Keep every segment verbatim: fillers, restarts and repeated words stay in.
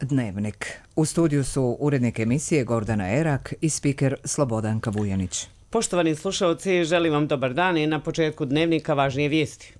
Dnevnik. U studiju su urednik emisije Gordana Erak i spiker Slobodanka Vujanić. Poštovani slušalci, želim vam dobar dan i na početku Dnevnika važnije vijesti.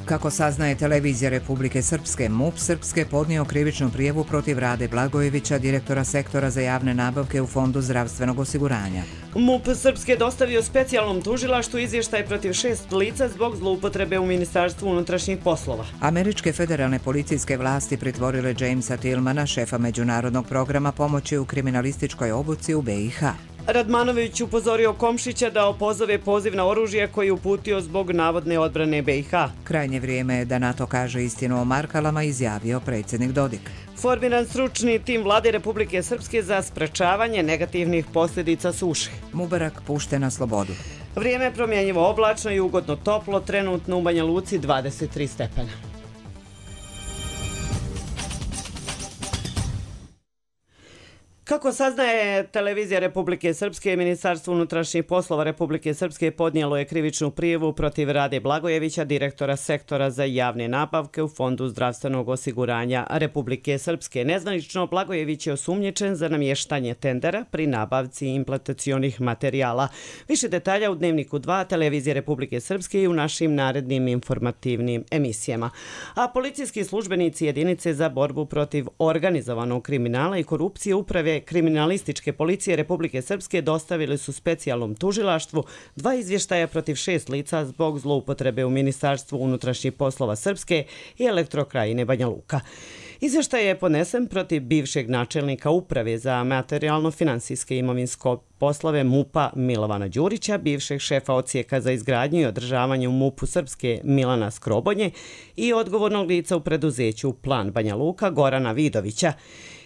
Kako saznaje televizija Republike Srpske, MUP Srpske podnio krivičnu prijavu protiv Rade Blagojevića, direktora sektora za javne nabavke u Fondu zdravstvenog osiguranja. MUP Srpske dostavio specijalnom tužilaštvu izvještaj protiv šest lica zbog zloupotrebe u Ministarstvu unutrašnjih poslova. Američke federalne policijske vlasti pritvorile Jamesa Tillmana, šefa međunarodnog programa pomoći u kriminalističkoj obuci u B i H. Radmanović upozorio Komšića da opozove poziv na oružje koji je uputio zbog navodne odbrane B i H. Krajnje vrijeme je da NATO kaže istinu o Markalama, izjavio predsjednik Dodik. Formiran stručni tim vlade Republike Srpske za sprečavanje negativnih posljedica suše. Mubarak pušten na slobodu. Vrijeme je promjenjivo oblačno i ugodno toplo, trenutno u Banja Luci dvadeset tri stepena. Kako saznaje televizija Republike Srpske, Ministarstvo unutrašnjih poslova Republike Srpske podnijelo je krivičnu prijavu protiv Rade Blagojevića, direktora sektora za javne nabavke u Fondu zdravstvenog osiguranja Republike Srpske. Nezvanično, Blagojević je osumnjičen za namještanje tendera pri nabavci implantacionih materijala. Više detalja u Dnevniku dva televizije Republike Srpske i u našim narednim informativnim emisijama. A policijski službenici jedinice za borbu protiv organizovanog kriminala i korupcije uprave kriminalističke policije Republike Srpske dostavili su specijalnom tužilaštvu dva izvještaja protiv šest lica zbog zloupotrebe u Ministarstvu unutrašnjih poslova Srpske i Elektrokrajine Banja Luka. Izvještaj je podnesen protiv bivšeg načelnika uprave za materijalno-finansijske imovinsko poslove MUP-a Milovana Đurića, bivšeg šefa odsjeka za izgradnju i održavanje u MUP-u Srpske Milana Skrobonje i odgovornog lica u preduzeću Plan Banja Luka Gorana Vidovića.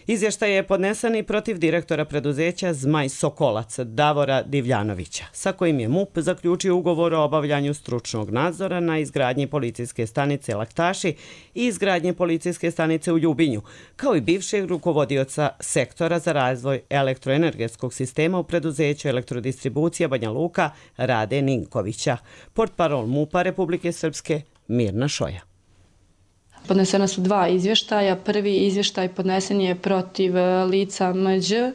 Izvještaj je podnesen i protiv direktora preduzeća Zmaj Sokolac Davora Divljanovića, sa kojim je MUP zaključio ugovor o obavljanju stručnog nadzora na izgradnji policijske stanice Laktaši i izgradnje policijske stanice u Ljubinju, kao i bivšeg rukovodioca sektora za razvoj elektroenergetskog sistema u preduzeću Elektrodistribucija Banja Luka Rade Ninkovića. Portparol MUP-a Republike Srpske Mirna Šoja. Podnesena su dva izvještaja. Prvi izvještaj podnesen je protiv lica M Đ,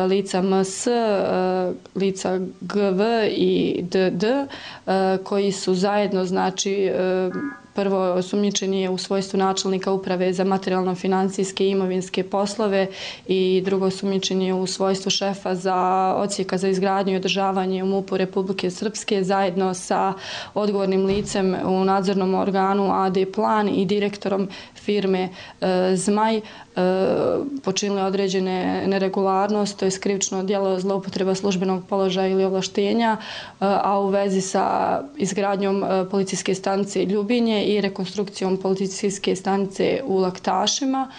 lica M S, lica G V i D D, koji su zajedno, znači, prvo osumnjičeni je u svojstvu načelnika uprave za materijalno-finansijske i imovinske poslove i drugo osumnjičen je u svojstvu šefa za odsjeka za izgradnju i održavanje u MUP-u Republike Srpske zajedno sa odgovornim licem u nadzornom organu A D Plan i direktorom firme Zmaj počinili određene neregularnosti, to je krivično djelo zloupotreba službenog položaja ili ovlaštenja, a u vezi sa izgradnjom policijske stanice Ljubinje i rekonstrukcijom policijske stanice u Laktašima,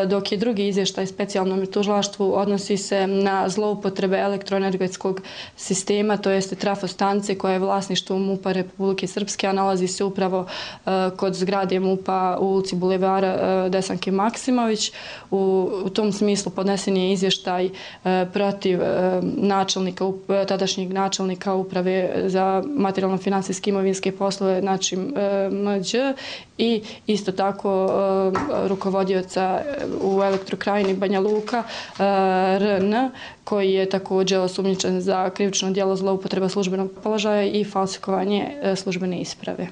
dok je drugi izvještaj specijalnom tužilaštvu odnosi se na zloupotrebe elektroenergetskog sistema, to jeste trafostanice koja je vlasništvo MUP-a Republike Srpske, a nalazi se upravo kod zgrade MUP-a u ulici Bulevara Desanke Maksimović. U, u tom smislu podnesen je izvještaj e, protiv e, načelnika, tadašnjeg načelnika uprave za materijalno-finansijske imovinske poslove, znači e, M Đ, i isto tako e, rukovodioca u Elektrokrajini Banja Luka e, R N, koji je također osumnjičen za krivično djelo zloupotreba službenog položaja i falsikovanje e, službene isprave.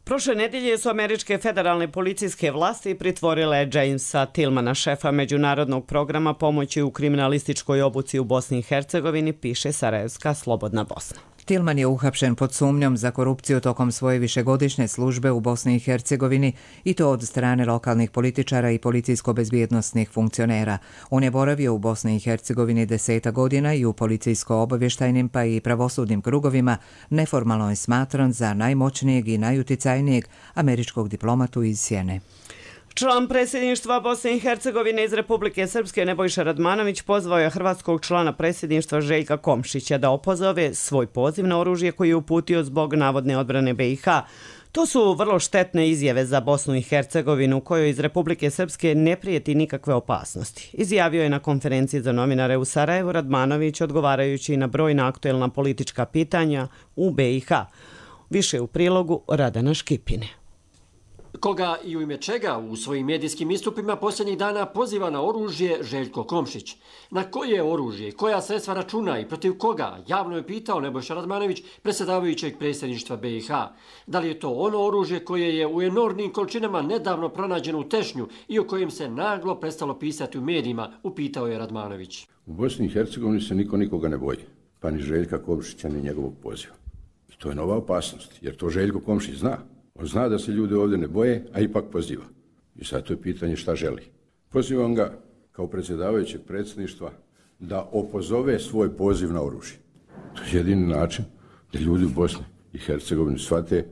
Prošle nedjelje su američke federalne policijske vlasti pritvorile Jamesa Tillmana, šefa međunarodnog programa pomoći u kriminalističkoj obuci u Bosni i Hercegovini, piše Sarajevska Slobodna Bosna. Tillman je uhapšen pod sumnjom za korupciju tokom svoje višegodišnje službe u Bosni i Hercegovini i to od strane lokalnih političara i policijsko-bezbjednostnih funkcionera. On je boravio u Bosni i Hercegovini deseta godina i u policijsko-obavještajnim pa i pravosudnim krugovima neformalno je smatran za najmoćnijeg i najuticajnijeg američkog diplomatu iz Sjene. Član predsjedništva Bosne i Hercegovine iz Republike Srpske Nebojša Radmanović pozvao je hrvatskog člana predsjedništva Željka Komšića da opozove svoj poziv na oružje koji je uputio zbog navodne odbrane B i H. To su vrlo štetne izjave za Bosnu i Hercegovinu, kojoj iz Republike Srpske ne prijeti nikakve opasnosti. Izjavio je na konferenciji za novinare u Sarajevu Radmanović, odgovarajući na brojna aktuelna politička pitanja u B i H. Više u prilogu Radana Škipine. Koga i u ime čega u svojim medijskim istupima posljednjih dana poziva na oružje Željko Komšić. Na koje oružje, koja sredstva računa i protiv koga, javno je pitao Nebojša Radmanović, predsjedavajućeg predsjedništva B i H. Da li je to ono oružje koje je u enormnim količinama nedavno pronađeno u Tešnju i o kojem se naglo prestalo pisati u medijima, upitao je Radmanović. U Bosni i Hercegovini se niko nikoga ne boji, pa ni Željka Komšića ni njegovog poziva. I to je nova opasnost, jer to Željko Komšić zna. On zna da se ljudi ovdje ne boje, a ipak poziva. I sad to je pitanje šta želi. Pozivam ga kao predsjedavajućeg predsjedništva da opozove svoj poziv na oružje. To je jedini način da ljudi u Bosni i Hercegovini shvate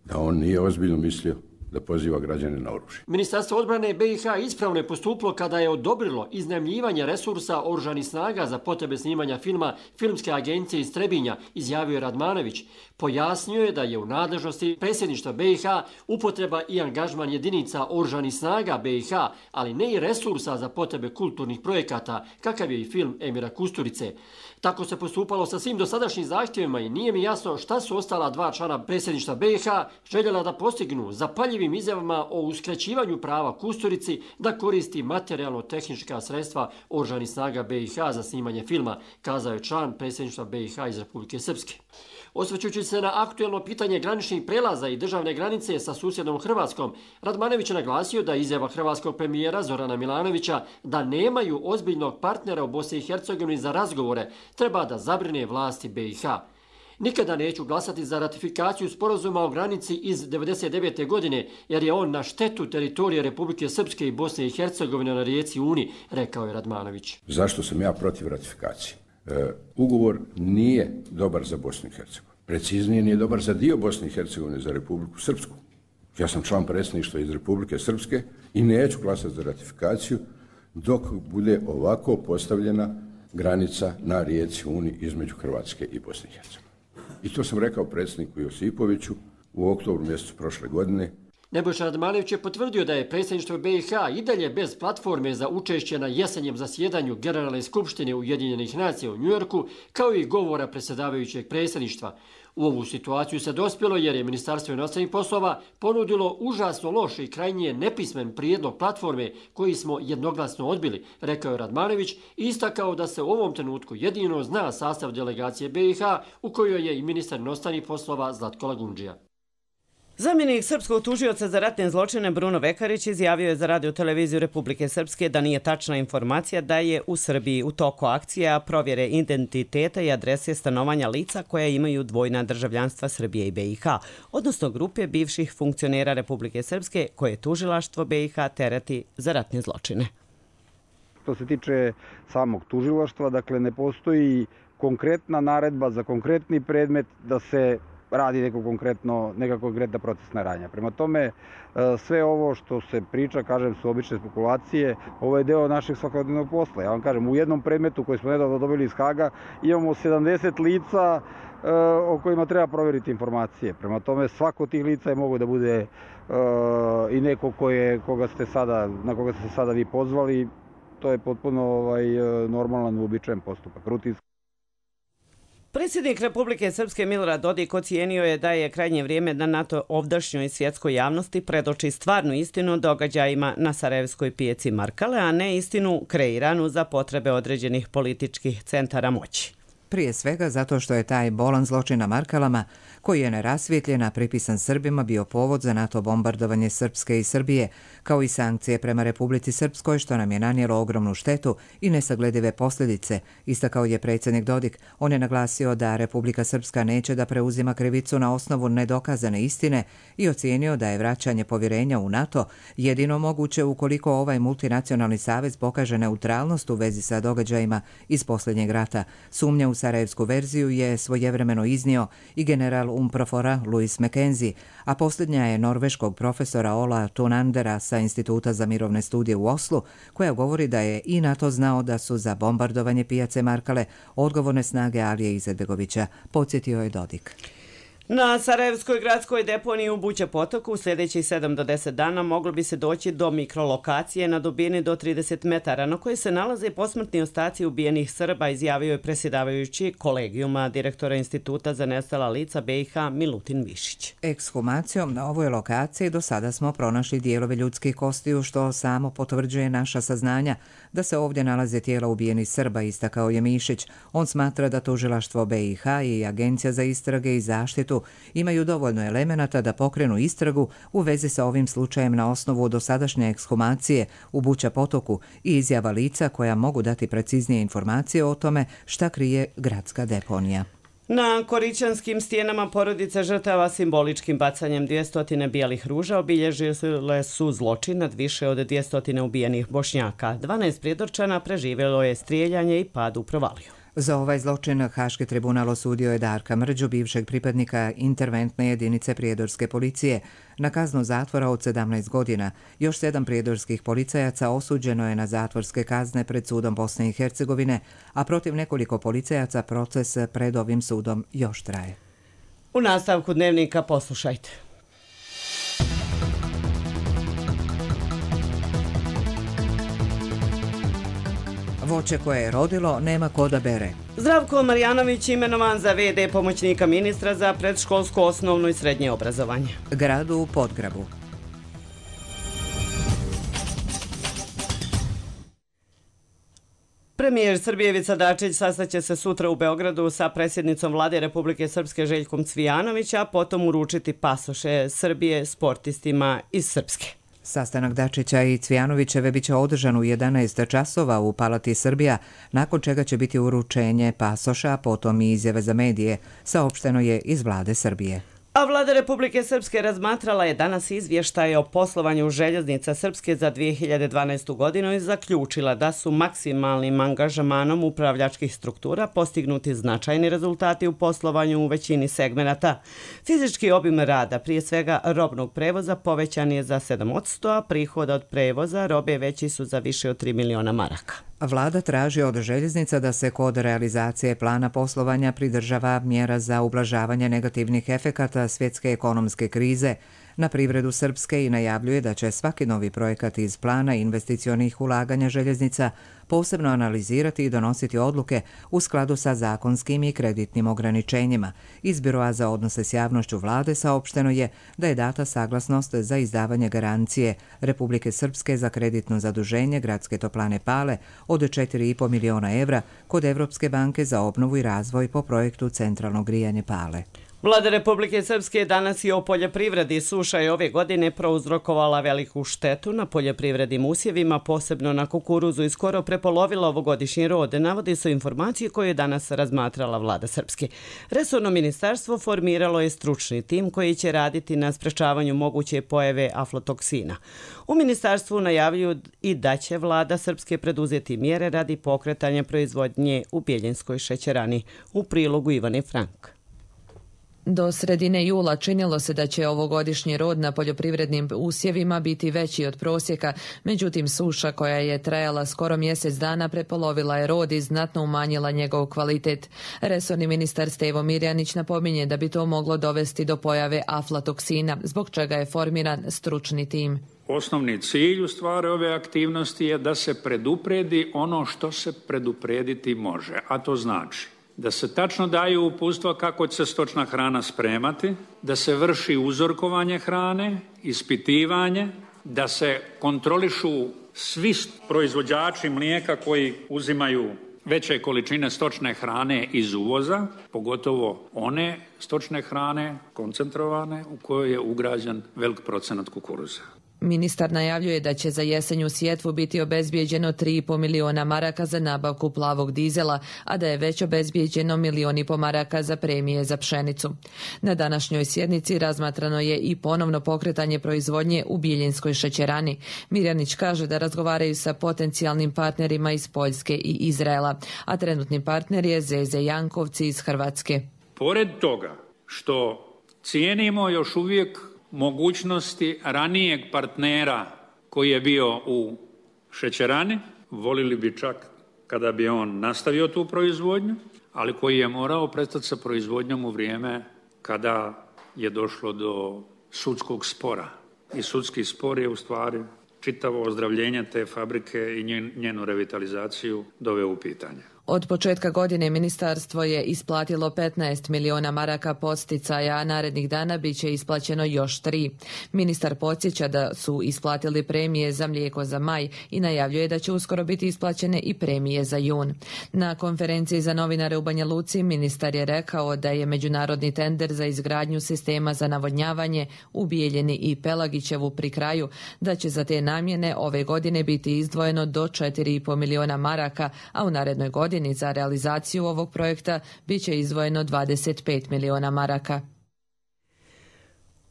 da on nije ozbiljno mislio da poziva građane na oružje. Ministarstvo odbrane B i H ispravno je postupilo kada je odobrilo iznajmljivanje resursa oružanih snaga za potrebe snimanja filma Filmske agencije iz Trebinja, izjavio je Radmanović. Pojasnio je da je u nadležnosti predsjedništva B i H upotreba i angažman jedinica oružanih snaga B i H, ali ne i resursa za potrebe kulturnih projekata, kakav je i film Emira Kusturice. Tako se postupalo sa svim dosadašnjim zahtjevima i nije mi jasno šta su ostala dva člana predsjedništva B i H željela da postignu zapaljivim izjavama o uskraćivanju prava Kusturici da koristi materijalno-tehnička sredstva oružanih snaga B i H za snimanje filma, kazao je član predsjedništva B i H iz Republike Srpske. Osvrćujući se na aktuelno pitanje graničnih prelaza i državne granice sa susjednom Hrvatskom, Radmanović je naglasio da izjava hrvatskog premijera Zorana Milanovića da nemaju ozbiljnog partnera u Bosni i Hercegovini za razgovore treba da zabrine vlasti B i H. Nikada neću glasati za ratifikaciju sporazuma o granici iz devedeset devete. godine, jer je on na štetu teritorije Republike Srpske i Bosne i Hercegovine na rijeci Uni, rekao je Radmanović. Zašto sam ja protiv ratifikacije? E, ugovor nije dobar za Bosnu i Hercegovinu. Preciznije, nije dobar za dio Bosne i Hercegovine, za Republiku Srpsku. Ja sam član predsjedništva iz Republike Srpske i neću glasati za ratifikaciju dok bude ovako postavljena granica na rijeci Uni između Hrvatske i Bosne i Hercegovine. I to sam rekao predsjedniku Josipoviću u oktobru mjesecu prošle godine. Nebojša Radmanović je potvrdio da je predsjedništvo B i H i dalje bez platforme za učešće na jesenjem zasjedanju Generalne skupštine Ujedinjenih nacija u Njujorku, kao i govora predsjedavajućeg predsjedništva. U ovu situaciju se dospjelo jer je Ministarstvo inostranih poslova ponudilo užasno loš i krajnje nepismen prijedlog platforme koji smo jednoglasno odbili, rekao je Radmanović i istakao da se u ovom trenutku jedino zna sastav delegacije B i H u kojoj je i ministar inostranih poslova Zlatko Lagundžija. Zamjenik srpskog tužioca za ratne zločine Bruno Vekarić izjavio je za radio-televiziju Republike Srpske da nije tačna informacija da je u Srbiji u toku akcija provjere identiteta i adrese stanovanja lica koja imaju dvojna državljanstva Srbije i B i H, odnosno grupe bivših funkcionera Republike Srpske koje tužilaštvo B i H tereti za ratne zločine. Što se tiče samog tužilaštva, dakle ne postoji konkretna naredba za konkretni predmet da se radi neko konkretno, neka konkretna procesna radnja. Prema tome, sve ovo što se priča, kažem, su obične spekulacije. Ovo je deo našeg svakodnevnog posla. Ja vam kažem, u jednom predmetu koji smo nedavno dobili iz Haga imamo sedamdeset lica o kojima treba provjeriti informacije. Prema tome, svako od tih lica je mogo da bude i neko koje, koga ste sada, na koga ste sada vi pozvali. To je potpuno ovaj, normalan, uobičajen postupak, rutinski. Predsjednik Republike Srpske Milorad Dodik ocijenio je da je krajnje vrijeme da NATO ovdašnjoj svjetskoj javnosti predoči stvarnu istinu o događajima na Sarajevskoj pijaci Markale, a ne istinu kreiranu za potrebe određenih političkih centara moći. Prije svega zato što je taj bolan zločin na Markalama, koji je nerasvjetljen, a pripisan Srbima, bio povod za NATO bombardovanje Srpske i Srbije, kao i sankcije prema Republici Srpskoj, što nam je nanijelo ogromnu štetu i nesagledive posljedice, istakao je predsjednik Dodik. On je naglasio da Republika Srpska neće da preuzima krivicu na osnovu nedokazane istine i ocijenio da je vraćanje povjerenja u NATO jedino moguće ukoliko ovaj multinacionalni savez pokaže neutralnost u vezi sa događajima iz posljednjeg rata. Sumnja u sarajevsku verziju je svojevremeno iznio i general Umprofora Louis McKenzie, a posljednja je norveškog profesora Ola Tunandera sa Instituta za mirovne studije u Oslu, koja govori da je i NATO znao da su za bombardovanje pijace Markale odgovorne snage Alije Izetbegovića, podsjetio je Dodik. Na Sarajevskoj gradskoj deponiji u Buća Potoku u sljedećih sedam do deset dana moglo bi se doći do mikrolokacije na dubini do trideset metara, na kojoj se nalaze posmrtni ostaci ubijenih Srba, izjavio je predsjedavajući kolegijuma direktora Instituta za nestala lica B i H Milutin Višić. Ekshumacijom na ovoj lokaciji do sada smo pronašli dijelove ljudskih kostiju, što samo potvrđuje naša saznanja da se ovdje nalaze tijela ubijenih Srba, istakao je Mišić. On smatra da tužilaštvo B i H i Agencija za istrage i zaštitu imaju dovoljno elemenata da pokrenu istragu u vezi sa ovim slučajem na osnovu dosadašnje ekshumacije u Buća Potoku i izjava lica koja mogu dati preciznije informacije o tome šta krije gradska deponija. Na Korićanskim stijenama porodice žrtava simboličkim bacanjem dvjesto bijelih ruža obilježile su zločin nad više od dvjesto ubijenih Bošnjaka. dvanaest prijedorčana preživjelo je strijeljanje i pad u provaliju. Za ovaj zločin Haški tribunal osudio je Darka Mrđu, bivšeg pripadnika interventne jedinice prijedorske policije, na kaznu zatvora od sedamnaest godina. Još sedam prijedorskih policajaca osuđeno je na zatvorske kazne pred sudom Bosne i Hercegovine, a protiv nekoliko policajaca proces pred ovim sudom još traje. U nastavku dnevnika poslušajte. Voće koje je rodilo nema ko da bere. Zdravko Marjanović imenovan za ve de pomoćnika ministra za predškolsko, osnovno i srednje obrazovanje. Gradu u Podgrabu. Premijer Srbije Ivica Dačić sastaće se sutra u Beogradu sa predsjednicom vlade Republike Srpske Željkom Cvijanović, a potom uručiti pasoše Srbije sportistima iz Srpske. Sastanak Dačića i Cvijanovićeve biće održan u jedanaest časova u Palati Srbija, nakon čega će biti uručenje pasoša, potom i izjave za medije, saopšteno je iz vlade Srbije. A vlada Republike Srpske razmatrala je danas izvještaje o poslovanju željeznica Srpske za dvije hiljade dvanaestu godinu i zaključila da su maksimalnim angažmanom upravljačkih struktura postignuti značajni rezultati u poslovanju u većini segmenata. Fizički obim rada, prije svega robnog prevoza, povećan je za sedam posto, a prihoda od prevoza robe veći su za više od tri miliona maraka. Vlada traži od željeznica da se kod realizacije plana poslovanja pridržava mjera za ublažavanje negativnih efekata svjetske ekonomske krize na privredu Srpske i najavljuje da će svaki novi projekat iz plana investicionih ulaganja željeznica posebno analizirati i donositi odluke u skladu sa zakonskim i kreditnim ograničenjima. Iz Biroa za odnose s javnošću vlade saopšteno je da je data saglasnost za izdavanje garancije Republike Srpske za kreditno zaduženje Gradske toplane Pale od četiri i po miliona evra kod Evropske banke za obnovu i razvoj po projektu Centralno grijanje Pale. Vlada Republike Srpske danas i o poljoprivredi. Suša je ove godine prouzrokovala veliku štetu na poljoprivrednim usjevima, posebno na kukuruzu, i skoro prepolovila ovogodišnji rod. Navodi su informacije koje je danas razmatrala vlada Srpske. Resorno ministarstvo formiralo je stručni tim koji će raditi na sprečavanju moguće pojave aflatoksina. U ministarstvu najavljuju i da će vlada Srpske preduzeti mjere radi pokretanja proizvodnje u Bjeljinskoj šećerani. U prilogu Ivane Frank. Do sredine jula činilo se da će ovogodišnji rod na poljoprivrednim usjevima biti veći od prosjeka, međutim suša koja je trajala skoro mjesec dana prepolovila je rod i znatno umanjila njegov kvalitet. Resorni ministar Stevo Mirjanić napominje da bi to moglo dovesti do pojave aflatoksina, zbog čega je formiran stručni tim. Osnovni cilj u stvari ove aktivnosti je da se predupredi ono što se preduprediti može, a to znači da se tačno daju uputstva kako će se stočna hrana spremati, da se vrši uzorkovanje hrane, ispitivanje, da se kontrolišu svi proizvođači mlijeka koji uzimaju veće količine stočne hrane iz uvoza, pogotovo one stočne hrane koncentrovane u kojoj je ugrađen velik procenat kukuruza. Ministar najavljuje da će za jesenju sjetvu biti obezbijeđeno tri i po miliona maraka za nabavku plavog dizela, a da je već obezbijeđeno milion i po maraka za premije za pšenicu. Na današnjoj sjednici razmatrano je i ponovno pokretanje proizvodnje u Bjeljinskoj šećerani. Mirjanić kaže da razgovaraju sa potencijalnim partnerima iz Poljske i Izraela, a trenutni partner je Zeze Jankovci iz Hrvatske. Pored toga što cijenimo još uvijek mogućnosti ranijeg partnera koji je bio u šećerani, volili bi čak kada bi on nastavio tu proizvodnju, ali koji je morao prestati sa proizvodnjom u vrijeme kada je došlo do sudskog spora. I sudski spor je u stvari čitavo ozdravljenje te fabrike i njenu revitalizaciju doveo u pitanje. Od početka godine ministarstvo je isplatilo petnaest miliona maraka posticaja, a narednih dana bit će isplaćeno još tri. Ministar podsjeća da su isplatili premije za mlijeko za maj i najavljuje da će uskoro biti isplaćene i premije za jun. Na konferenciji za novinare u Banja Luci ministar je rekao da je međunarodni tender za izgradnju sistema za navodnjavanje u Bijeljini i Pelagićevu pri kraju, da će za te namjene ove godine biti izdvojeno do četiri i po miliona maraka, a u narednoj godini za realizaciju ovog projekta bit će izdvojeno dvadeset pet miliona maraka.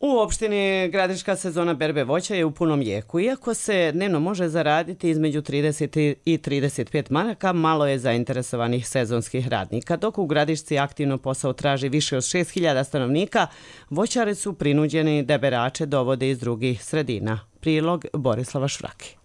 U opštini Gradiška sezona berbe voća je u punom jeku. Iako se dnevno može zaraditi između trideset i trideset pet maraka, malo je zainteresovanih sezonskih radnika. Dok u Gradišci aktivno posao traži više od šest hiljada stanovnika, voćari su prinuđeni da berače dovode iz drugih sredina. Prilog Borislava Švrake.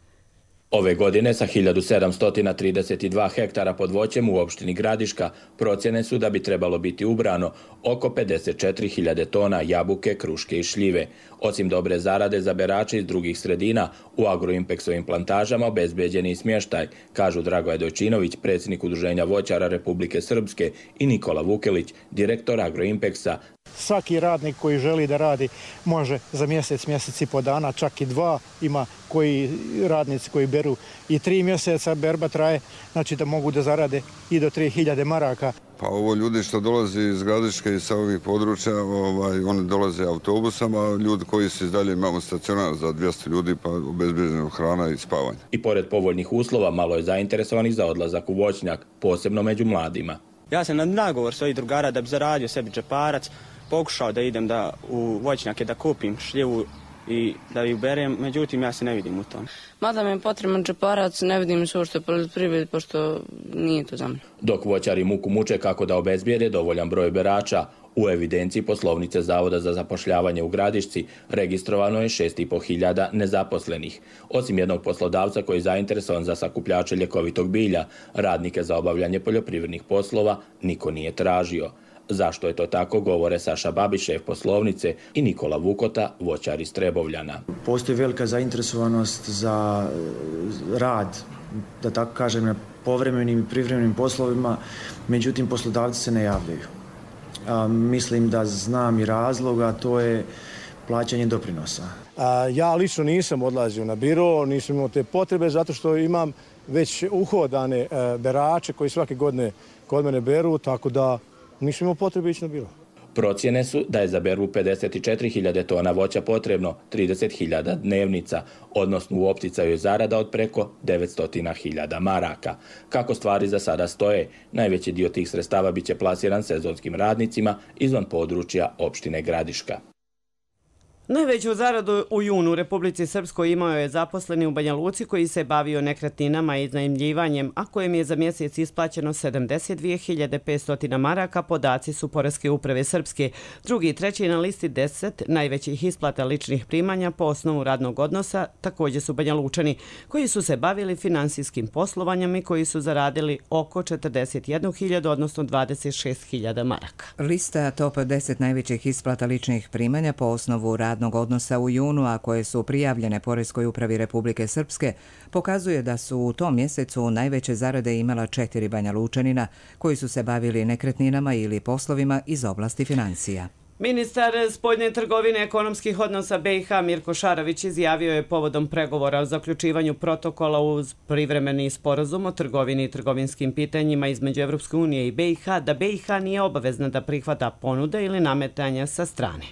Ove godine sa hiljadu sedamsto trideset dva hektara pod voćem u opštini Gradiška procjene su da bi trebalo biti ubrano oko pedeset četiri hiljade tona jabuke, kruške i šljive. Osim dobre zarade za berače iz drugih sredina, u Agroimpeksovim plantažama obezbeđen je i smještaj, kažu Dragoje Dojčinović, predsjednik Udruženja voćara Republike Srpske, i Nikola Vukelić, direktor Agroimpeksa. Svaki radnik koji želi da radi može za mjesec, mjesec i po dana, čak i dva. Ima koji radnici koji beru i tri mjeseca, berba traje, znači da mogu da zarade i do tri hiljade maraka. Pa ovo ljudi što dolazi iz Gradiške i sa ovih područja, ovaj, oni dolaze autobusama, ljudi koji se dalje imamo stacionar za dvjesto ljudi, pa obezbeđena hrana i spavanje. I pored povoljnih uslova, malo je zainteresovanih za odlazak u voćnjak, posebno među mladima. Ja sam na nagovor svojih drugara da bi zaradio sebi džeparac, pokušao da idem da u voćnjake da kupim šljivu i da ju berem, međutim ja se ne vidim u tom. Mada mi je potreban džeparac, ne vidim se uopšte poljoprivredi, pošto nije to za mene. Dok voćari muku muče kako da obezbijede dovoljan broj berača, u evidenciji poslovnice Zavoda za zapošljavanje u Gradišci registrovano je šest i po hiljada nezaposlenih. Osim jednog poslodavca koji je zainteresovan za sakupljače ljekovitog bilja, radnike za obavljanje poljoprivrednih poslova niko nije tražio. Zašto je to tako, govore Saša Babiš, šef poslovnice, i Nikola Vukota, voćar iz Trebovljana. Postoji velika zainteresovanost za rad, da tako kažem, na povremenim i privremenim poslovima, međutim poslodavci se ne javljaju. A, mislim da znam i razlog, a to je plaćanje doprinosa. A, ja lično nisam odlazio na biro, nisam imao te potrebe, zato što imam već uhodane e, berače koji svake godine kod mene beru, tako da nisam imao potrebe ići na biro. Procjene su da je za berbu pedeset četiri hiljade tona voća potrebno trideset hiljada dnevnica, odnosno u opticaju je zarada od preko devetsto hiljada maraka. Kako stvari za sada stoje, najveći dio tih sredstava biće plasiran sezonskim radnicima izvan područja opštine Gradiška. Najveću zaradu u junu u Republici Srpskoj imao je zaposleni u Banja Luci koji se bavio nekretninama i iznajmljivanjem, a kojem je za mjesec isplaćeno sedamdeset dvije hiljade petsto maraka, podaci su Poreske uprave Srpske. Drugi i treći na listi deset najvećih isplata ličnih primanja po osnovu radnog odnosa također su Banja Lučani, koji su se bavili finansijskim poslovanjem i koji su zaradili oko četrdeset jednu hiljadu, odnosno dvadeset šest hiljada maraka. Lista top deset najvećih isplata ličnih primanja po osnovu radnog odnosa u junu, a koje su prijavljene Poreskoj upravi Republike Srpske, pokazuje da su u tom mjesecu najveće zarade imala četiri Banja Lučanina koji su se bavili nekretninama ili poslovima iz oblasti financija. Ministar spoljne trgovine ekonomskih odnosa B i H Mirko Šarović izjavio je povodom pregovora o zaključivanju protokola uz privremeni sporazum o trgovini i trgovinskim pitanjima između Evropske unije i B i H da B i H nije obavezna da prihvata ponude ili nametanja sa strane.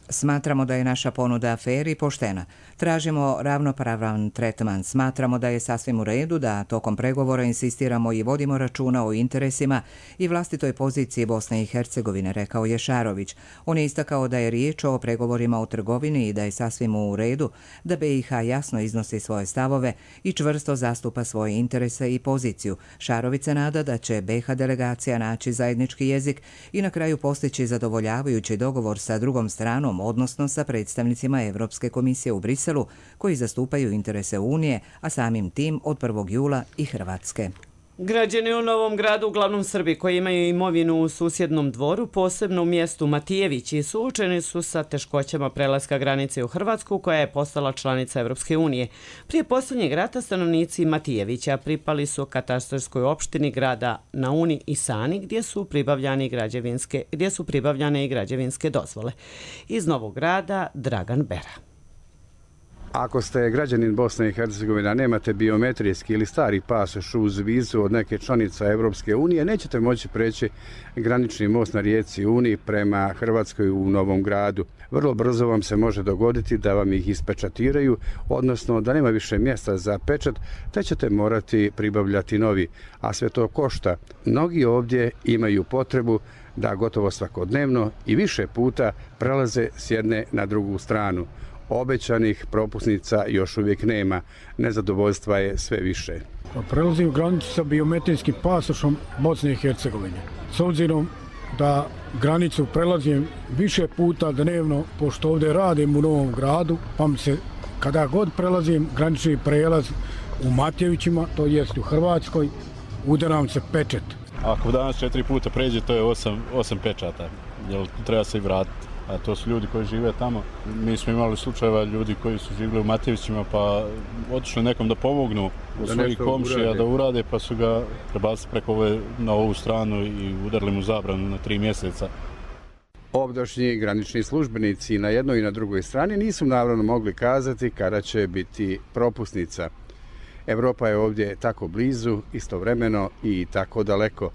Smatramo da je naša ponuda fer i poštena. Tražimo ravnopravan tretman. Smatramo da je sasvim u redu da tokom pregovora insistiramo i vodimo računa o interesima i vlastitoj poziciji Bosne i Hercegovine, rekao je Šarović. On je istakao da je riječ o pregovorima o trgovini i da je sasvim u redu da B i H jasno iznosi svoje stavove i čvrsto zastupa svoje interese i poziciju. Šarović se nada da će B i H delegacija naći zajednički jezik i na kraju postići zadovoljavajući dogovor sa drugom stranom, odnosno sa predstavnicima Evropske komisije u Briselu, koji zastupaju interese Unije, a samim tim od prvog jula i Hrvatske. Građani u Novom Gradu, uglavnom Srbi koji imaju imovinu u susjednom dvoru, posebno u mjestu Matijevići, suočeni su sa teškoćama prelaska granice u Hrvatsku, koja je postala članica Evropske unije. Prije posljednjeg rata stanovnici Matijevića pripali su katastarskoj opštini grada Nauni i Sani, gdje su pribavljane i građevinske, gdje su pribavljane i građevinske dozvole. Iz Novog Grada, Dragan Bera. Ako ste građanin Bosne i Hercegovine, a nemate biometrijski ili stari pasoš uz vizu od neke članice Evropske unije, nećete moći preći granični most na rijeci Uni prema Hrvatskoj u Novom Gradu. Vrlo brzo vam se može dogoditi da vam ih ispečatiraju, odnosno da nema više mjesta za pečat, te ćete morati pribavljati novi, a sve to košta. Mnogi ovdje imaju potrebu da gotovo svakodnevno i više puta prelaze s jedne na drugu stranu. Obećanih propusnica još uvijek nema. Nezadovoljstva je sve više. Prelazim granicu sa biometrijskim pasošom Bosne i Hercegovine. S obzirom da granicu prelazim više puta dnevno, pošto ovdje radim u Novom Gradu, pa mi se kada god prelazim granični prijelaz u Matijevićima, to jest u Hrvatskoj, udaram se pečet. Ako danas četiri puta pređe, to je osam, osam pečata, jer treba se i vratiti. A to su ljudi koji žive tamo. Mi smo imali slučajeva ljudi koji su živjeli u Matijevićima pa otišli nekom da pomognu od svojih komšija da urade, pa su ga prebacili preko ove na ovu stranu i udarili mu zabranu na tri mjeseca. Ovdašnji granični službenici na jednoj i na drugoj strani nisu naravno mogli kazati kada će biti propusnica. Evropa je ovdje tako blizu, istovremeno i tako daleko.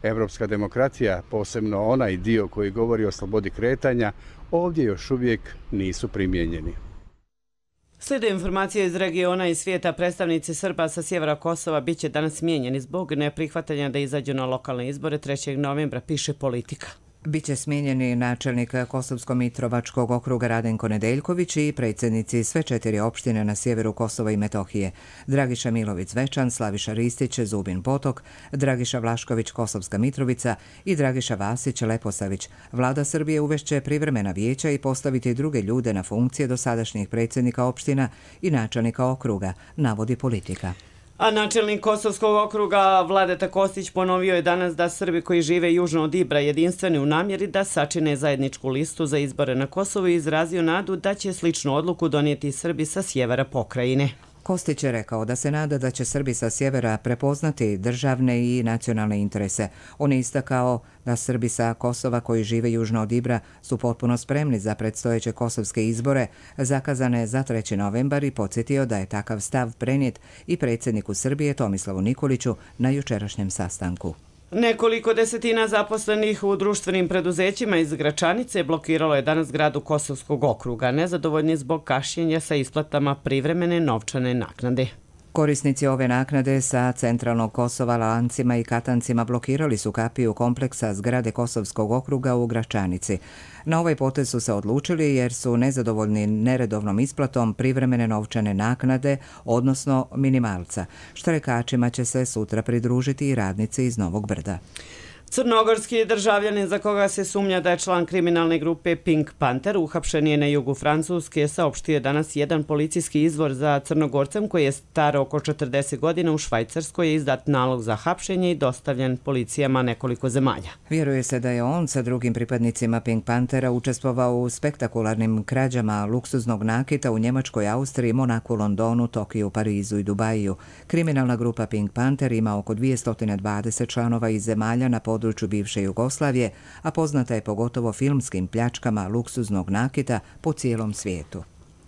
Evropska demokratija, posebno onaj dio koji govori o slobodi kretanja, ovdje još uvijek nisu primijenjeni. Slijede informacije iz regiona i svijeta. Predstavnici Srba sa sjevera Kosova bit će danas smijenjeni zbog neprihvatanja da izađu na lokalne izbore trećeg novembra, piše Politika. Biće smijenjeni načelnik Kosovsko-Mitrovačkog okruga Radenko Nedeljković i predsjednici sve četiri opštine na sjeveru Kosova i Metohije: Dragiša Milović-Zvečan, Slaviša Ristić, Zubin Potok, Dragiša Vlašković, Kosovska Mitrovica i Dragiša Vasić, Leposavić. Vlada Srbije uvešće privremena vijeća i postaviti druge ljude na funkcije dosadašnjih predsjednika opština i načelnika okruga, navodi Politika. A načelnik Kosovskog okruga Vladeta Kostić ponovio je danas da Srbi koji žive južno od Ibra jedinstveni u namjeri da sačine zajedničku listu za izbore na Kosovu i izrazio nadu da će sličnu odluku donijeti Srbi sa sjevera pokrajine. Kostić je rekao da se nada da će Srbi sa sjevera prepoznati državne i nacionalne interese. On je istakao da Srbi sa Kosova koji žive južno od Ibra su potpuno spremni za predstojeće kosovske izbore zakazane za treći novembar i podsjetio da je takav stav prenijet i predsjedniku Srbije Tomislavu Nikoliću na jučerašnjem sastanku. Nekoliko desetina zaposlenih u društvenim preduzećima iz Gračanice blokiralo je danas zgradu Kosovskog okruga, nezadovoljni zbog kašnjenja sa isplatama privremene novčane naknade. Korisnici ove naknade sa centralnog Kosova, Lancima i Katancima blokirali su kapiju kompleksa zgrade Kosovskog okruga u Gračanici. Na ovaj potez su se odlučili jer su nezadovoljni neredovnom isplatom privremene novčane naknade, odnosno minimalca. Štrajkačima će se sutra pridružiti i radnici iz Novog Brda. Crnogorski državljanin za koga se sumnja da je član kriminalne grupe Pink Panther uhapšen je na jugu Francuske, saopštio je danas jedan policijski izvor. Za Crnogorcem koji je star oko četrdeset godina u Švajcarskoj je izdat nalog za hapšenje i dostavljen policijama nekoliko zemalja. Vjeruje se da je on sa drugim pripadnicima Pink Panthera učestvovao u spektakularnim krađama luksuznog nakita u Njemačkoj, Austriji, Monaku, Londonu, Tokiju, Parizu i Dubaju. Kriminalna grupa Pink Panther ima oko dvjesto dvadeset članova iz zemalja na području području bivše Jugoslavije, a poznata je pogotovo filmskim pljačkama luksuznog nakita po cijelom svijetu.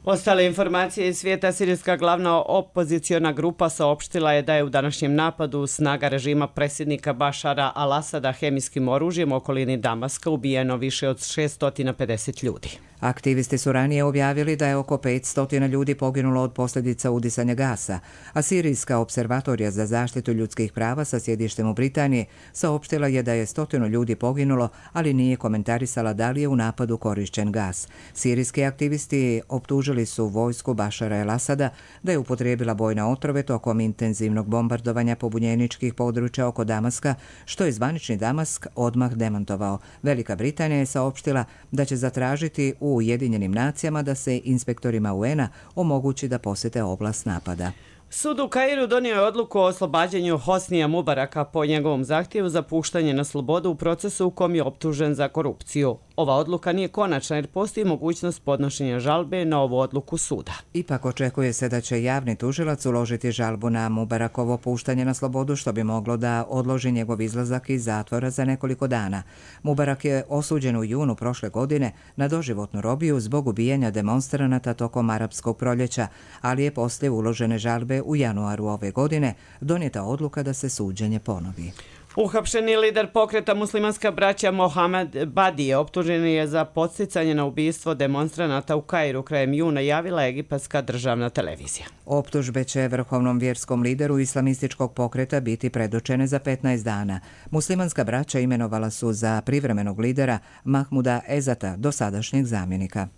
Ostale informacije iz svijeta. Sirijska glavna opoziciona grupa saopštila je da je u današnjem napadu snaga režima predsjednika Bašara al-Asada hemijskim oružjem u okolini Damaska ubijeno više od šesto pedeset ljudi. Aktivisti su ranije objavili da je oko petsto ljudi poginulo od posljedica udisanja gasa, a Sirijska observatorija za zaštitu ljudskih prava sa sjedištem u Britaniji saopštila je da je stotinu ljudi poginulo, ali nije komentarisala da li je u napadu korišćen gas. Sirijski aktivisti optužili su vojsku Bašara el-Asada da je upotrijebila bojne otrove tokom intenzivnog bombardovanja pobunjeničkih područja oko Damaska, što je zvanični Damask odmah demantovao. Velika Britanija je saopštila da će zatražiti u Ujedinjenim nacijama da se inspektorima U N-a omogući da posjete oblast napada. Sud u Kairu donio je odluku o oslobađanju Hosnija Mubaraka po njegovom zahtjevu za puštanje na slobodu u procesu u kom je optužen za korupciju. Ova odluka nije konačna jer postoji mogućnost podnošenja žalbe na ovu odluku suda. Ipak očekuje se da će javni tužilac uložiti žalbu na Mubarakovo puštanje na slobodu, što bi moglo da odloži njegov izlazak iz zatvora za nekoliko dana. Mubarak je osuđen u junu prošle godine na doživotnu robiju zbog ubijanja demonstranata tokom arapskog proljeća, ali je poslije uložene žalbe u januaru ove godine donijeta odluka da se suđenje ponovi. Uhapšeni lider pokreta Muslimanska braća Mohamed Badije optužen je za podsticanje na ubistvo demonstranata u Kairu krajem juna, javila egipatska državna televizija. Optužbe će vrhovnom vjerskom lideru islamističkog pokreta biti predočene za petnaest dana. Muslimanska braća imenovala su za privremenog lidera Mahmuda Ezata, dosadašnjeg zamjenika.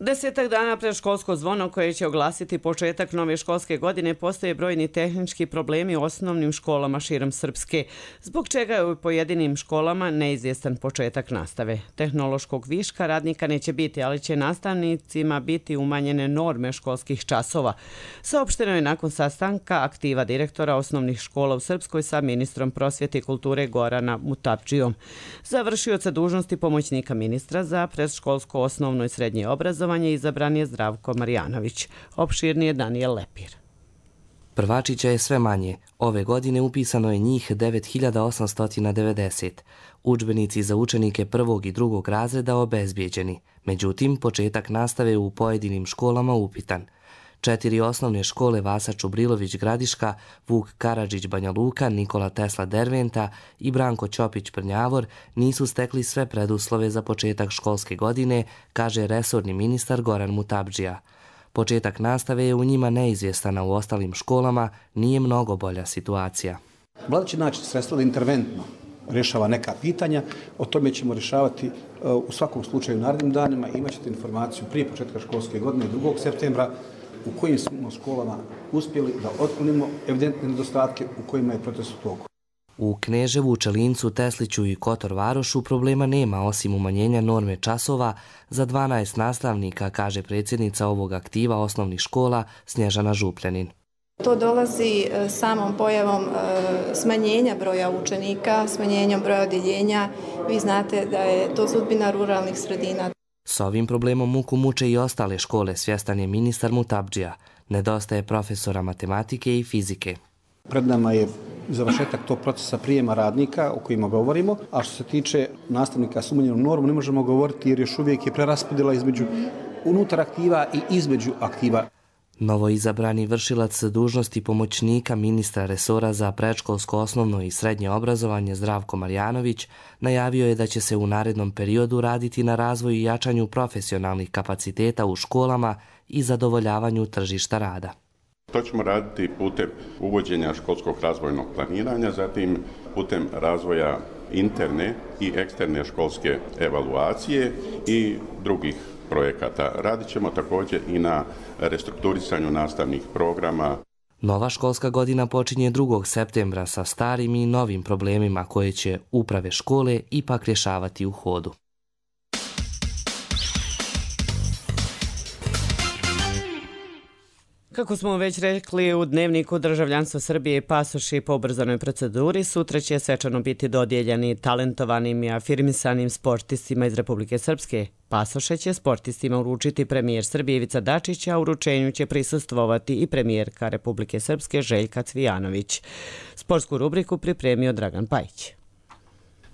Desetak dana pred školsko zvono koje će oglasiti početak nove školske godine postoje brojni tehnički problemi u osnovnim školama širom Srpske, zbog čega je u pojedinim školama neizvjestan početak nastave. Tehnološkog viška radnika neće biti, ali će nastavnicima biti umanjene norme školskih časova. Saopšteno je nakon sastanka aktiva direktora osnovnih škola u Srpskoj sa ministrom prosvjete i kulture Gorana Mutapdžijom. Završioca dužnosti pomoćnika ministra za predškolsko osnovno i srednje obrazovanje izabran je Zdravko Marjanović. Opširnije Danijel Lepir. Prvačića je sve manje. Ove godine upisano je njih devet hiljada osamsto devedeset. Udžbenici za učenike prvog i drugog razreda obezbijeđeni. Međutim, početak nastave u pojedinim školama upitan. Četiri osnovne škole Vasa Čubrilović Gradiška, Vuk Karadžić Banja Luka, Nikola Tesla Derventa i Branko Ćopić Prnjavor nisu stekli sve preduslove za početak školske godine, kaže resorni ministar Goran Mutapdžija. Početak nastave je u njima neizvjestan, a u ostalim školama nije mnogo bolja situacija. Vlada će naći sredstva da interventno rješava neka pitanja, o tome ćemo rješavati u svakom slučaju u narednim danima. Imaćete informaciju prije početka školske godine, drugog septembra, u kojim smo školama uspjeli da otklonimo evidentne nedostatke u kojima je proces u toku. U Kneževu, Čelincu, Tesliću i Kotor Varošu problema nema osim umanjenja norme časova za dvanaest nastavnika, kaže predsjednica ovog aktiva osnovnih škola Snježana Župljanin. To dolazi samom pojavom smanjenja broja učenika, smanjenjem broja odjeljenja. Vi znate da je to sudbina ruralnih sredina. S ovim problemom muku muče i ostale škole, svjestan je ministar Mutapdžija. Nedostaje profesora matematike i fizike. Pred nama je završetak tog procesa prijema radnika o kojima govorimo, a što se tiče nastavnika s umanjenom normom ne možemo govoriti jer još uvijek je preraspodjela između unutar aktiva i između aktiva. Novo izabrani vršilac dužnosti pomoćnika ministra resora za predškolsko osnovno i srednje obrazovanje Zdravko Marjanović najavio je da će se u narednom periodu raditi na razvoju i jačanju profesionalnih kapaciteta u školama i zadovoljavanju tržišta rada. To ćemo raditi putem uvođenja školskog razvojnog planiranja, zatim putem razvoja interne i eksterne školske evaluacije i drugih projekata. Radit ćemo također i na restrukturisanju nastavnih programa. Nova školska godina počinje drugog septembra sa starim i novim problemima koje će uprave škole ipak rješavati u hodu. Kako smo već rekli, u dnevniku državljanstva Srbije i pasoši po ubrzanoj proceduri sutra će svečano biti dodijeljeni talentovanim i afirmisanim sportistima iz Republike Srpske. Pasoše će sportistima uručiti premijer Srbije Ivica Dačić, a uručenju će prisustvovati i premijerka Republike Srpske Željka Cvijanović. Sportsku rubriku pripremio Dragan Pajić.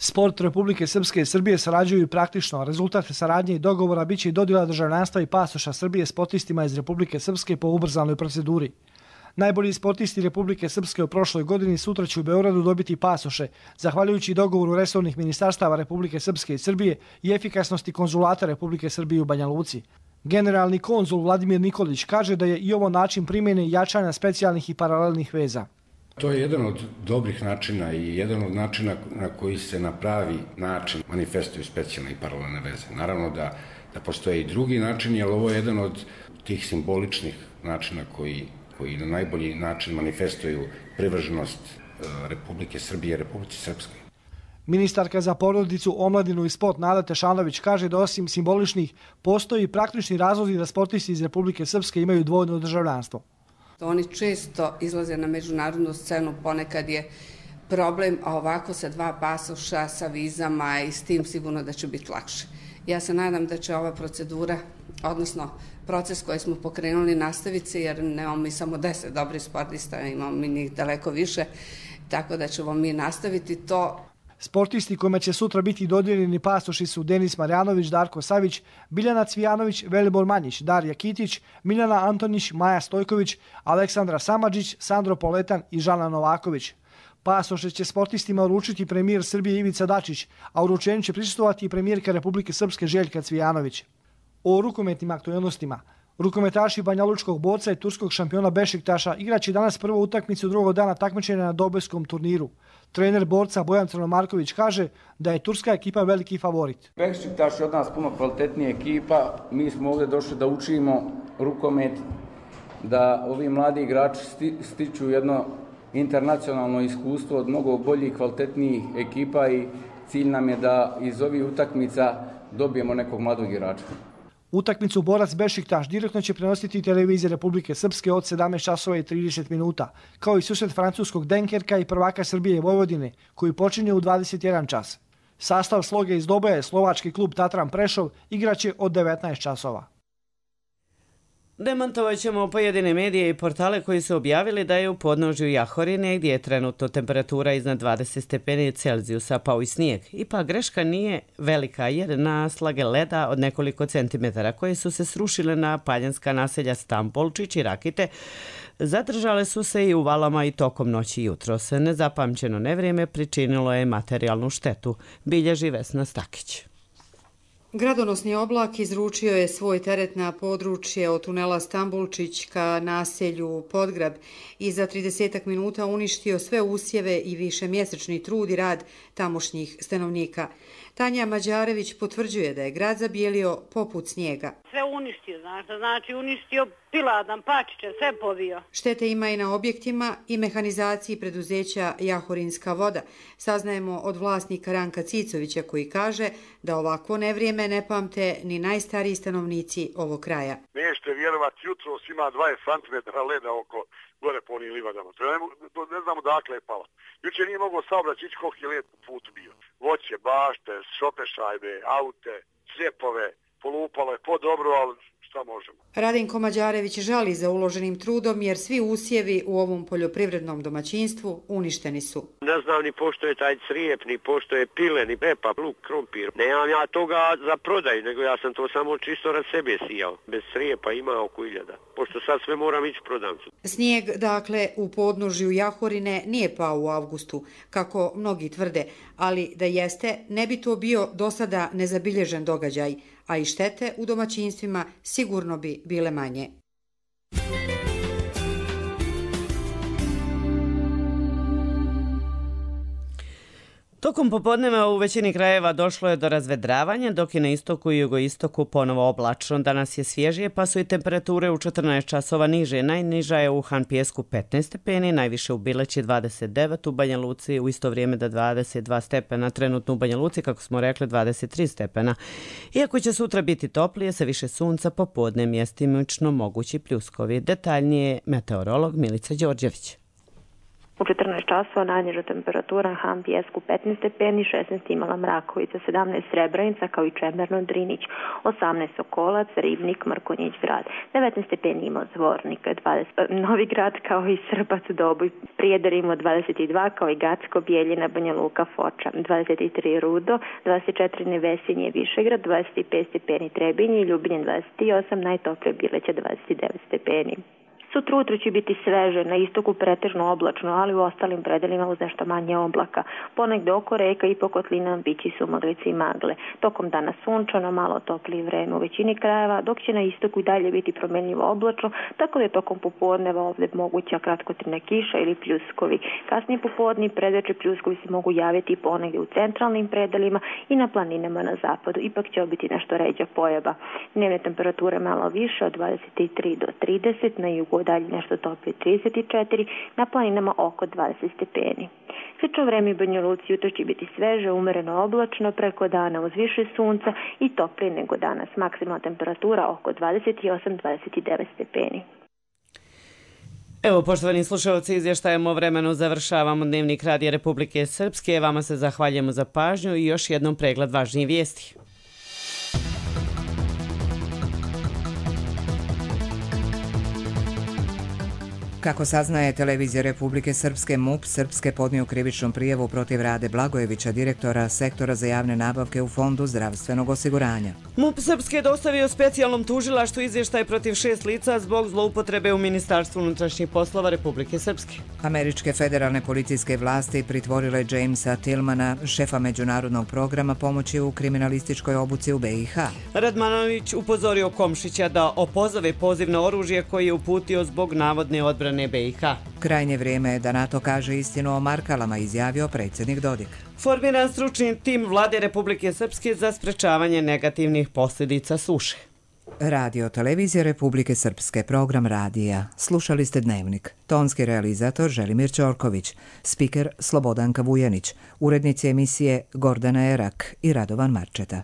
Sport Republike Srpske i Srbije sarađuju praktično. Rezultat saradnje i dogovora biće i dodjela državljanstva i pasoša Srbije sportistima iz Republike Srpske po ubrzanoj proceduri. Najbolji sportisti Republike Srpske u prošloj godini sutra će u Beogradu dobiti pasoše, zahvaljujući dogovoru resornih ministarstava Republike Srpske i Srbije i efikasnosti konzulata Republike Srbije u Banja Luci. Generalni konzul Vladimir Nikolić kaže da je i ovo način primjene i jačanja specijalnih i paralelnih veza. To je jedan od dobrih načina i jedan od načina na koji se na pravi način manifestuju specijalne i paralelne veze. Naravno da, da postoje i drugi načini, ali ovo je jedan od tih simboličnih načina koji, koji na najbolji način manifestuju privrženost Republike Srbije i Republike Srpske. Ministarka za porodicu, omladinu i sport Nada Tešanović kaže da osim simboličnih postoji praktični razlozi da sportisti iz Republike Srpske imaju dvojno državljanstvo. Oni često izlaze na međunarodnu scenu, ponekad je problem, a ovako sa dva pasoša, sa vizama i s tim sigurno da će biti lakše. Ja se nadam da će ova procedura, odnosno proces koji smo pokrenuli nastaviti se, jer nemamo mi samo deset dobrih sportista, imamo mi njih daleko više, tako da ćemo mi nastaviti to. Sportisti kojima će sutra biti dodijeljeni pasoši su Denis Marjanović, Darko Savić, Biljana Cvijanović, Velibor Manjić, Darija Kitić, Miljana Antonić, Maja Stojković, Aleksandra Samadžić, Sandro Poletan i Žana Novaković. Pasoše će sportistima uručiti premijer Srbije Ivica Dačić, a uručenju će prisustvovati i premijerka Republike Srpske Željka Cvijanović. O rukometnim aktualnostima. Rukometaši Banjalučkog Borca i turskog šampiona Bešiktaša igraće danas prvu utakmicu drugog dana takmičenja na Dobojskom turniru. Trener Borca Bojan Crnomarković kaže da je turska ekipa veliki favorit. Bešiktaš je od nas puno kvalitetnija ekipa. Mi smo ovdje došli da učimo rukomet, da ovi mladi igrači stiču jedno internacionalno iskustvo od mnogo boljih, kvalitetnijih ekipa i cilj nam je da iz ovih utakmica dobijemo nekog mladog igrača. Utakmicu Borac Bešiktaš direktno će prenositi televizija Republike Srpske od sedamnaest časova i trideset minuta, kao i susret francuskog Denkerka i prvaka Srbije i Vojvodine, koji počinje u dvadeset jedan čas. Sastav Sloge iz Doboja, slovački klub Tatran Prešov, igraće od devetnaest časova. Demantovat ćemo pojedine medije i portale koji su objavili da je u podnožju Jahorine, gdje je trenutno temperatura iznad dvadeset stepeni Celzijusa, pao i snijeg. Ipak greška nije velika jer naslage leda od nekoliko centimetara koje su se srušile na paljanska naselja Stampolčić i Rakite zadržale su se i u Valama i tokom noći i jutros. Nezapamćeno nevrijeme pričinilo je materijalnu štetu, bilježi Vesna Stakić. Gradonosni oblak izručio je svoj teret na područje od tunela Stambulčić ka naselju Podgrab i za tridesetak minuta uništio sve usjeve i višemjesečni trud i rad tamošnjih stanovnika. Tanja Mađarević potvrđuje da je grad zabijelio poput snijega. Sve uništio, znaš, znači uništio piladan, pačiće, sve povio. Štete ima i na objektima i mehanizaciji preduzeća Jahorinska voda. Saznajemo od vlasnika Ranka Cicovića koji kaže da ovako nevrijeme ne pamte ni najstariji stanovnici ovog kraja. Nećete vjerovati, jutro ima dvadeset centimetara leda oko gore po onim livadama. To ne, to ne znamo dakle je pala. Jučer nije mogao saobraćati ići koliki je led po putu bio. Voće, bašte, šopešajbe, aute, sljepove, polupalo je po dobro, ali šta možemo. Radenko Mađarević žali za uloženim trudom jer svi usjevi u ovom poljoprivrednom domaćinstvu uništeni su. Ne znam ni pošto je taj crijep, ni pošto je pile, ni pepa, luk, krompir. Nemam ja toga za prodaju, nego ja sam to samo čisto rad sebe sijao. Bez crijepa ima oko iljada, pošto sad sve moram ići prodavcu. Snijeg, dakle, u podnožju Jahorine nije pao u avgustu, kako mnogi tvrde, ali da jeste, ne bi to bio do sada nezabilježen događaj, a i štete u domaćinstvima sigurno bi bile manje. Tokom popodneva u većini krajeva došlo je do razvedravanja, dok je na istoku i jugoistoku ponovo oblačno. Danas je svježije, pa su i temperature u četrnaest časova niže. Najniža je u Hanpijesku petnaest stepeni, najviše u Bileći dvadeset devet, u Banja Luci u isto vrijeme da dvadeset dva stepena, trenutno u Banja Luci, kako smo rekli, dvadeset tri stepena. Iako će sutra biti toplije, sa više sunca, popodne mjestimično mogući pljuskovi. Detaljnije meteorolog Milica Đorđević. U četrnaest časova najniža temperatura na Han Pijesku petnaest stepeni, šesnaest Imala Mrakovica, sedamnaest Srebrenica kao i Čemerno Drinić, osamnaest Sokolac, Ribnik, Mrkonjić Grad, devetnaest stepeni ima Zvornik, dvadeset Novi Grad kao i Srbac Doboj, Prijedor ima dvadeset dva kao i Gacko, Bijeljina, Banja Luka, Foča, dvadeset tri Rudo, dvadeset četiri Nevesinje, Višegrad, dvadeset pet stepeni Trebinje i Ljubinje dvadeset osam, najtoplije Bileća dvadeset devet stepeni. Sutra ujutro će biti sveže, na istoku pretežno oblačno, ali u ostalim predelima uz nešto manje oblaka. Ponegde oko reka i po kotlinama biće sumaglice i magle. Tokom dana sunčano, malo toplije vreme u većini krajeva, dok će na istoku i dalje biti promenljivo oblačno, tako da je tokom popodneva ovdje moguća kratkotrajna kiša ili pljuskovi. Kasnije popodne predeče pljuskovi se mogu javiti ponegde u centralnim predelima i na planinama na zapadu. Ipak će biti nešto ređa pojava. Dnevne temperature malo više od dvadeset tri do trideset, na jugu dalje nešto toplije trideset četiri, na planinama oko dvadeset stepeni. Slično vreme u Banja Luci jutro će biti sveže, umereno oblačno, preko dana uz više sunca i toplije nego danas. Maksimalna temperatura oko dvadeset osam do dvadeset devet stepeni. Evo, poštovani slušalci, izvještajem o vremenu završavamo Dnevnik Radija Republike Srpske. Vama se zahvaljujemo za pažnju i još jednom pregled važnijih vijesti. Kako saznaje televizija Republike Srpske, MUP Srpske podnio krivičnu prijavu protiv Rade Blagojevića, direktora sektora za javne nabavke u Fondu zdravstvenog osiguranja. MUP Srpske je dostavio specijalnom tužilaštvu izvještaj protiv šest lica zbog zloupotrebe u Ministarstvu unutrašnjih poslova Republike Srpske. Američke federalne policijske vlasti pritvorile Jamesa Tillmana, šefa međunarodnog programa pomoći u kriminalističkoj obuci u B i H. Radmanović upozorio Komšića da opozove poziv na oružje koji je uputio zbog navodne odbrane B i H. Krajnje vrijeme je da NATO kaže istinu o Markalama, izjavio predsjednik Dodik. Formiran stručni tim Vlade Republike Srpske za sprečavanje negativnih posljedica suše. Radio televizija Republike Srpske, program radija. Slušali ste Dnevnik. Tonski realizator Želimir Ćorković, spiker Slobodanka Vujanić, urednici emisije Gordana Erak i Radovan Marčeta.